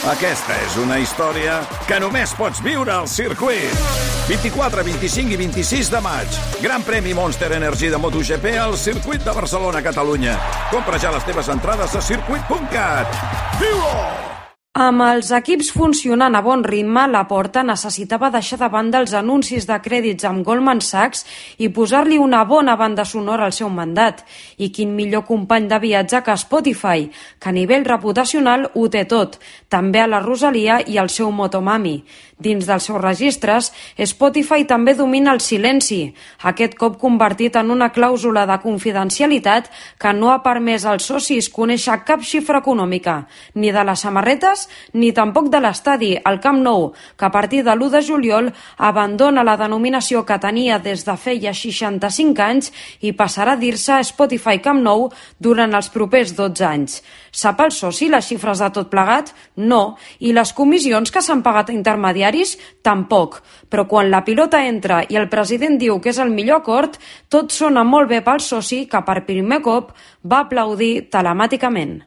Aquesta és una història que només pots viure al circuit. 24, 25 i 26 de maig. Gran premi Monster Energy de MotoGP al circuit de Barcelona, Catalunya. Compra ja les teves entrades a circuit.cat. Viu-ho! Amb els equips funcionant a bon ritme, Laporta necessitava deixar de banda els anuncis de crèdits amb Goldman Sachs i posar-li una bona banda sonora al seu mandat. I quin millor company de viatge que Spotify, que a nivell reputacional ho té tot, també a la Rosalia i al seu Motomami. Dins dels seus registres, Spotify també domina el silenci, aquest cop convertit en una clàusula de confidencialitat que no ha permès als socis conèixer cap xifra econòmica, ni de les samarretes ni tampoc de l'estadi, el Camp Nou, que a partir de l'1 de juliol abandona la denominació que tenia des de feia 65 anys i passarà a dir-se Spotify Camp Nou durant els propers 12 anys. Sap el soci les xifres de tot plegat? No. I les comissions que s'han pagat a intermediaris? Tampoc. Però quan la pilota entra i el president diu que és el millor acord, tot sona molt bé pel soci que per primer cop va aplaudir telemàticament.